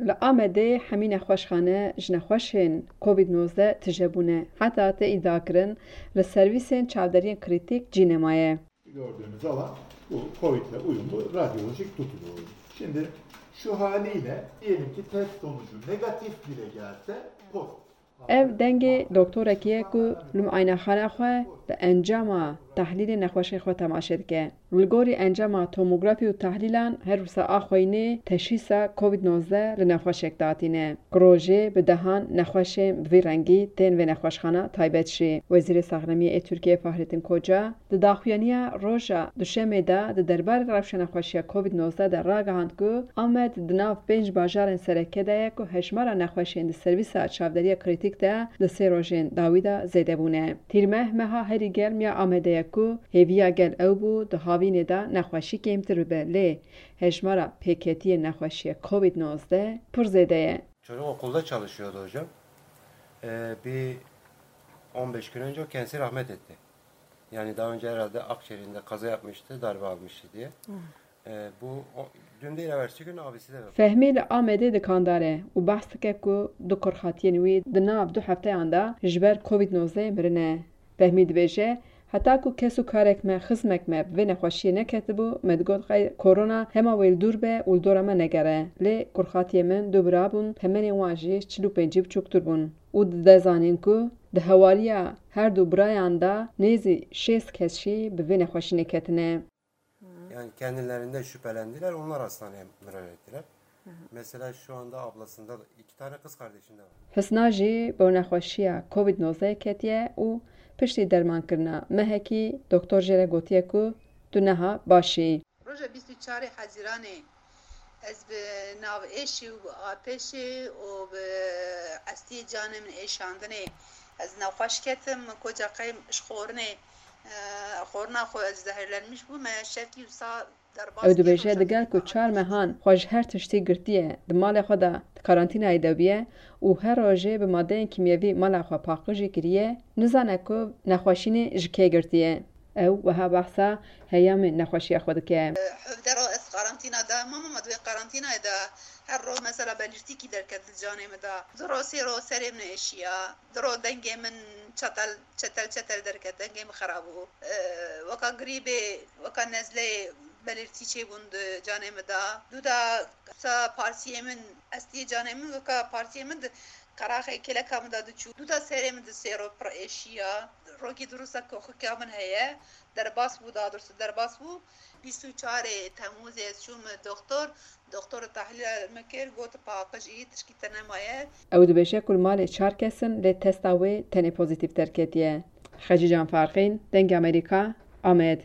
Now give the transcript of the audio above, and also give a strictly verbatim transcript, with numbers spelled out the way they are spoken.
Li Amedê hemî nexweşxane ji nexweşên Covid nozdeh tije bûne. Heta tê îdiakirin li servîsên çavderiyên krîtîk cî nemaye. Gördüğümüz alan bu Covid'le uyumlu radyolojik tutuyoruz. Şimdi şu haliyle diyelim ki test sonucu negatif bile gelse pozitif. Ev dengê doktorekî ye ku li muayenexana xwe bi encama tehlîlê nexweşê xwe temaşe dike. Li gorî encama tomografî û tehlîlan her wisa a xweyînê teşhîsa Covid nozdeh li nexweşek datîne. Ku rojê bi dehan nexweşên bi vî rengî tên vê nexweşxana taybet jî. Wezîrê Saxlemiyê ê Tirkiyê Fahrettin Koca di daxuyaniya roja Duşemê de di derbarê rewşa nexweşiya Covid nozdeh de ragihand ku Amed di nav pênc bajarên sereke de ye ku hejmara nexweşên di servîsa çavderiya krîtîk de di sê rojên dawî de zêde bûne. Tîrmeh meha herî germ ya Amedê ye ku hêviya gel ew bû di havînê de nexweşî kêmtir bibe, lê hejmara pêketiyên nexweşiya Covid nozdeh pir zêde ye. Çocuk okulda çalışıyordu hocam. Ee, bir on beş gün önce o kendisi rahmet etti. Yani daha önce herhalde akciğerinde kaza yapmıştı, darbe almıştı diye. Ee, bu o, dün değil, evvelsi gün abisi de vefat etti. Fehmî li Amedê dikandar e û behs dike ku du kurxatiyên wî di nav du hefteyan de ji ber Covid nozdeh mirine. Fehmî dibêje, heta ku kes û karek me, xizmek me bi vê nexweşiyê neketibû, me digot qey korona hema wê li dûr be û li dora me negere. Lê kurxatiyê min du bira bûn, temenên wan jî çil û pêncî biçûktir bûn. Û dide zanîn ku di hewariya her du birayan de nêzî şêst kes jî bi vê nexweşînê ketine. Yani kendilerinde şüphelendiler, onlar hastaneye müracaat ettiler. Mesela şu anda ablasında da iki tane kız kardeşinde var. Hisna jî bi nexweşiya Covid nozdeh ketiye û piştî dermankirina mehekî doktor jê re gotiye ku tu neha baş î. Roja bîst û çarê Hezîranê ez bi nav êşê û bi apêşê û bi estiyê canê min êşandinê ez nexweş ketim. Koca qey ji xorinê, e, xorina xwe ez zehirlenmiş bûme, şevkî wisa derbas Ew dibêje, digel ku çar mehan xwe ji her tiştî girtiye, di malê xwe de di karantînayê de bûye û her rojê bi madeyên kîmyevî mala xwe paqijî kiriye, nizane ku nexweşînê ji kê girtiye. Ew wiha behsa heyamê nexweşiya xwe dike. Hevdero ez karantîna de mama, ma di wê karantînayê de her roj mesela belîrtîkî derket li canê min de. Du roj sê roj serê min êşiya. Du roj dengê min çetel, çetel, çetel derket, dengê min xerab bû. Weka grîbê, weka nezleyê belîrtî çêbûn di canê min de. Du da sa partiyê min, estiyê canê min, weka partiyê min di qeraxê kêleka min de diçû. Du da serê min di sê roj pir êşiya. Rokî dirûsa koxika min heye. Derbas bû, daha doğrusu derbas bû. Bîst û çarê Temmûzê ez çûm doktor. Doktor tehlîl min kir, got paqij î, tişkî te nemaye. Ew dibêje ku li malê çar kes in, lê testa wê tenê pozîtîf derketiye. Xecîcan Farqîn, Dengê Amerîka, Amed.